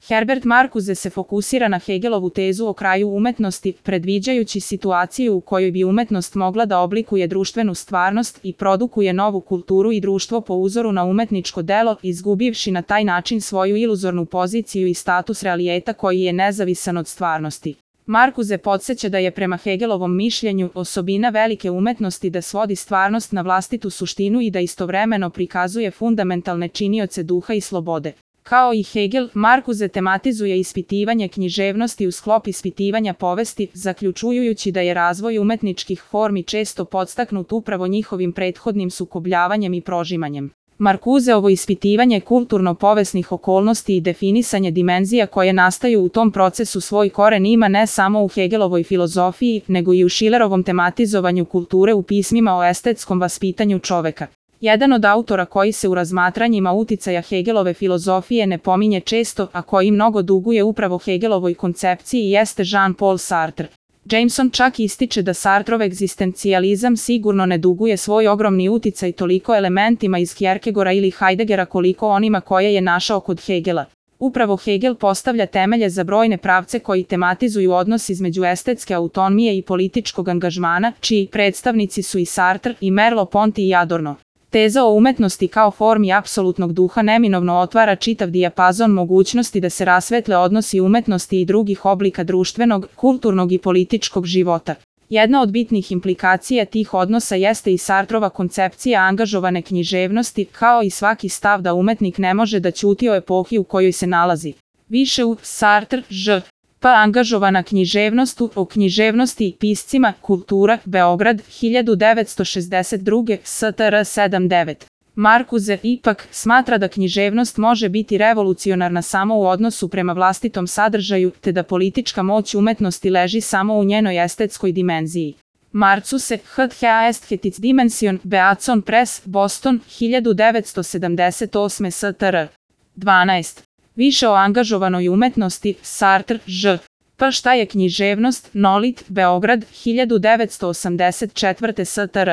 Herbert Marcuse se fokusira na Hegelovu tezu o kraju umetnosti, predviđajući situaciju u kojoj bi umetnost mogla da oblikuje društvenu stvarnost i produkuje novu kulturu i društvo po uzoru na umetničko delo, izgubivši na taj način svoju iluzornu poziciju i status realiteta koji je nezavisan od stvarnosti. Marcuse podsjeća da je prema Hegelovom mišljenju osobina velike umetnosti da svodi stvarnost na vlastitu suštinu i da istovremeno prikazuje fundamentalne činioce duha i slobode. Kao i Hegel, Marcuse tematizuje ispitivanje književnosti u sklop ispitivanja povesti, zaključujući da je razvoj umetničkih formi često podstaknut upravo njihovim prethodnim sukobljavanjem i prožimanjem. Marcuseovo ispitivanje kulturno-povesnih okolnosti i definisanje dimenzija koje nastaju u tom procesu svoj koren ima ne samo u Hegelovoj filozofiji, nego i u Schillerovom tematizovanju kulture u pismima o estetskom vaspitanju čoveka. Jedan od autora koji se u razmatranjima uticaja Hegelove filozofije ne pominje često, a koji mnogo duguje upravo Hegelovoj koncepciji jeste Jean-Paul Sartre. Jameson čak ističe da Sartrov egzistencijalizam sigurno ne duguje svoj ogromni uticaj toliko elementima iz Kierkegaarda ili Heideggera koliko onima koje je našao kod Hegela. Upravo Hegel postavlja temelje za brojne pravce koji tematizuju odnos između estetske autonomije i političkog angažmana, čiji predstavnici su i Sartre, i Merleau-Ponty i Adorno. Teza o umetnosti kao formi apsolutnog duha neminovno otvara čitav dijapazon mogućnosti da se rasvetle odnosi umetnosti i drugih oblika društvenog, kulturnog i političkog života. Jedna od bitnih implikacija tih odnosa jeste i Sartrova koncepcija angažovane književnosti, kao i svaki stav da umetnik ne može da ćuti o epohi u kojoj se nalazi. Više u Sartre, pa angažovana književnost o književnosti i piscima, kultura, Beograd, 1962, STR 79. Marcuse ipak smatra da književnost može biti revolucionarna samo u odnosu prema vlastitom sadržaju, te da politička moć umetnosti leži samo u njenoj estetskoj dimenziji. Marcuse, Est Dimension, Beatson Press, Boston, 1978 STR. 12. Više o angažovanoj umetnosti, Sartre, Pa šta je književnost, Nolit, Beograd, 1984 STR.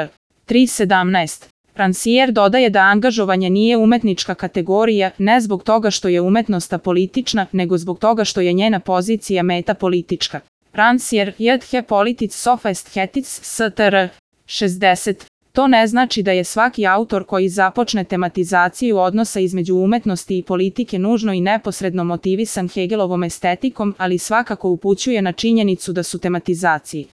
3.17. Rancière dodaje da angažovanje nije umetnička kategorija, ne zbog toga što je umetnost apolitična, nego zbog toga što je njena pozicija metapolitička. Rancière, J.H. Politics of Aesthetics, STR. 60. To ne znači da je svaki autor koji započne tematizaciju odnosa između umetnosti i politike nužno i neposredno motivisan Hegelovom estetikom, ali svakako upućuje na činjenicu da su tematizaciji